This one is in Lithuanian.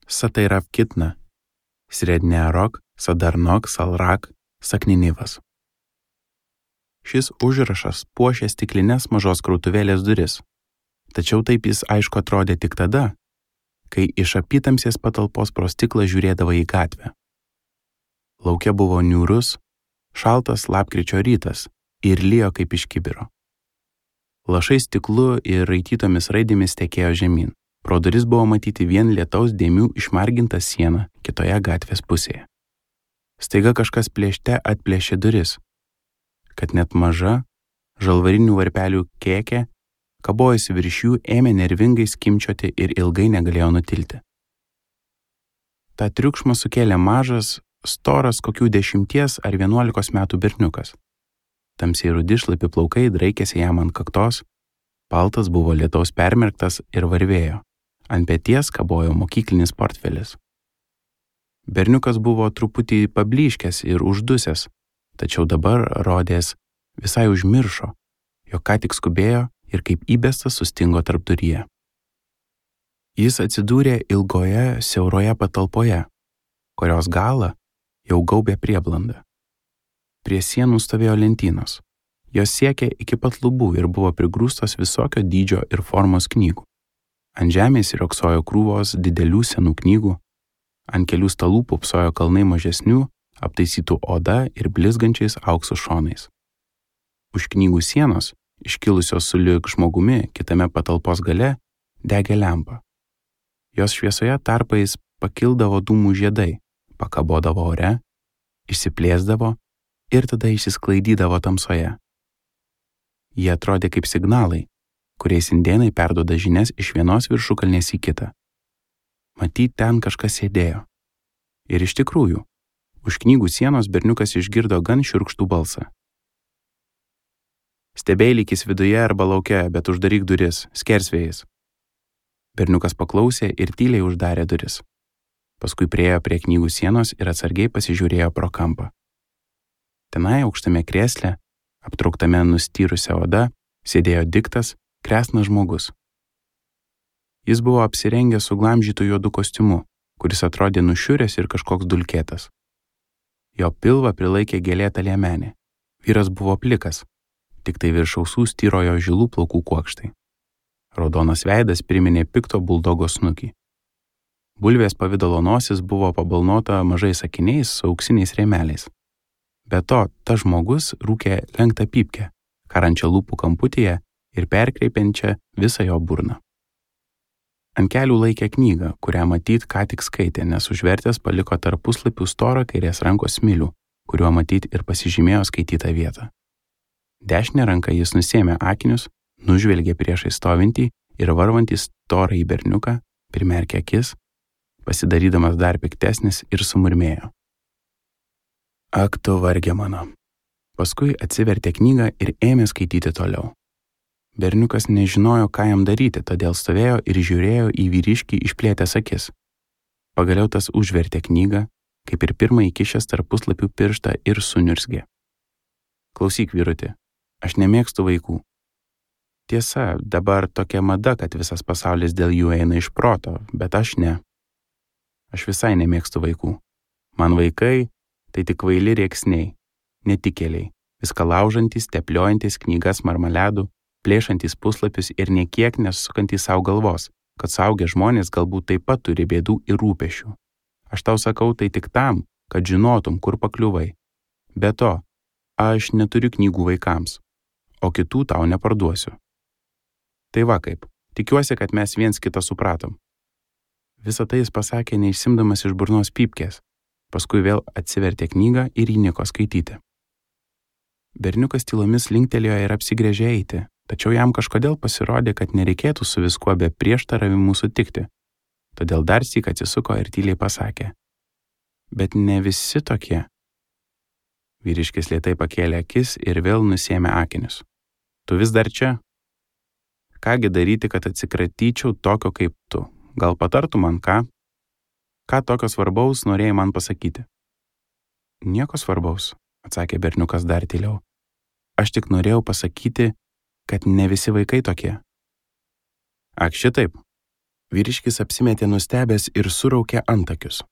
Satairavkitna, Sredniarok, Sadarnok, Salrak, Sakninivas. Šis užrašas puošė stiklinės mažos krautuvėlės duris, tačiau taip jis aišku atrodė tik tada, kai iš apytamsės patalpos pro stiklą žiūrėdavo į gatvę. Lauke buvo niūrus, šaltas lapkričio rytas ir lijo kaip iš kibiro. Lašai stiklu ir raitytomis raidėmis tekėjo žemyn. Pro duris buvo matyti vien lietaus dėmių išmarginta siena kitoje gatvės pusėje. Staiga kažkas plėšte atplėšė duris, kad net maža, žalvarinių varpelių kėkė, kabojosi virš jų, ėmė nervingai skimčioti ir ilgai negalėjo nutilti. Ta triukšmą sukėlė mažas, storas kokių 10 ar 11 metų berniukas. Tamsiai rudi šlapi plaukai draikėsi jam ant kaktos, paltas buvo lietaus permerktas ir varvėjo. Ant peties kabojo mokyklinis portfelis. Berniukas buvo truputį pablyškęs ir uždusęs, tačiau dabar rodės visai užmiršo, jog ką tik skubėjo ir kaip įbestas sustingo tarpduryje. Jis atsidūrė ilgoje, siauroje patalpoje, kurios galą jau gaubė prieblanda. Prie sienų stovėjo lentynos. Jos siekė iki pat lubų ir buvo prigrūstos visokio dydžio ir formos knygų. Ant žemės riogsojo krūvos didelių senų knygų, ant kelių stalų pupsojo kalnai mažesnių, aptaisytų oda ir blizgančiais aukso šonais. Už knygų sienos, iškilusios sulig žmogumi kitame patalpos gale, degė lempa. Jos šviesoje tarpais pakildavo dūmų žiedai, pakabodavo ore, išsiplėsdavo ir tada išsisklaidydavo tamsoje. Jie atrodė kaip signalai, kuriais indėnai perduoda žinias iš vienos viršukalnės į kitą. Matyt, ten kažkas sėdėjo. Ir iš tikrųjų, už knygų sienos berniukas išgirdo gan šiurkštų balsą. Stebėlykis viduje arba lauke, bet uždaryk duris, skersvėjais. Berniukas paklausė ir tyliai uždarė duris. Paskui priėjo prie knygų sienos ir atsargiai pasižiūrėjo pro kampą. Tenai aukštame krėsle, aptrauktame nustyrusią odą, sėdėjo diktas, kresnas žmogus. Jis buvo apsirengęs suglamžytų juodų kostiumu, kuris atrodė nušiuręs ir kažkoks dulkėtas. Jo pilvą prilaikė gėlėta liemenė. Vyras buvo plikas, tik tai virš ausų styrojo žilų plaukų kuokštai. Raudonas veidas priminė pikto buldogo snukį. Bulvės pavidalo nosis buvo pabalnota mažais akiniais su auksiniais rėmeliais. Be to, tas žmogus rūkė lenktą pypkę, karančią lūpų kamputyje ir perkreipiančią visą jo burną. Ant kelių laikė knygą, kurią matyt ką tik skaitė, nes užvertęs paliko tarp puslapių storą kairės rankos smilių, kuriuo matyt ir pasižymėjo skaitytą vietą. Dešinę ranką jis nusėmė akinius, nužvelgė priešai stovintį ir varvantį storąjį berniuką, primerkė akis, pasidarydamas dar piktesnis ir sumurmėjo. Ak tu varge mano. Paskui atsivertė knygą ir ėmė skaityti toliau. Berniukas nežinojo, ką jam daryti, todėl stovėjo ir žiūrėjo į vyriškį išplėtęs akis. Pagaliau tas užvertė knygą, kaip ir pirmą įkišęs tarp puslapių pirštą ir suniurzgė. Klausyk, vyruti, aš nemėgstu vaikų. Tiesa, dabar tokia mada, kad visas pasaulis dėl jų eina iš proto, bet aš ne. Aš visai nemėgstu vaikų. Man vaikai tai tik kvaili rėksniai, netikėliai, viską laužantys, tepliojantis knygas marmaledų, plėšantys puslapius ir niekiek nesukantys savo galvos, kad suaugę žmonės galbūt taip pat turi bėdų ir rūpešių. Aš tau sakau tai tik tam, kad žinotum, kur pakliuvai. Be to, aš neturiu knygų vaikams, o kitų tau neparduosiu. Tai va kaip, tikiuosi, kad mes viens kitą supratom. Visą tai jis pasakė neišsimdamas iš burnos pypkės, paskui vėl atsivertė knygą ir įniko skaityti. Berniukas tylomis linktelėjo ir apsigręžė eiti, tačiau jam kažkodėl pasirodė, kad nereikėtų su viskuo be prieštaravimų sutikti. Todėl dar syk atsisuko ir tyliai pasakė. Bet ne visi tokie. Vyriškis lėtai pakėlė akis ir vėl nusėmė akinius. Tu vis dar čia? Kągi daryti, kad atsikratyčiau tokio kaip tu? Gal patartų man ką? Ką tokio svarbaus norėjai man pasakyti? Nieko svarbaus, atsakė berniukas dar tyliau. Aš tik norėjau pasakyti, kad ne visi vaikai tokie. Ak šitaip. Vyriškis apsimetė nustebęs ir suraukė antakius.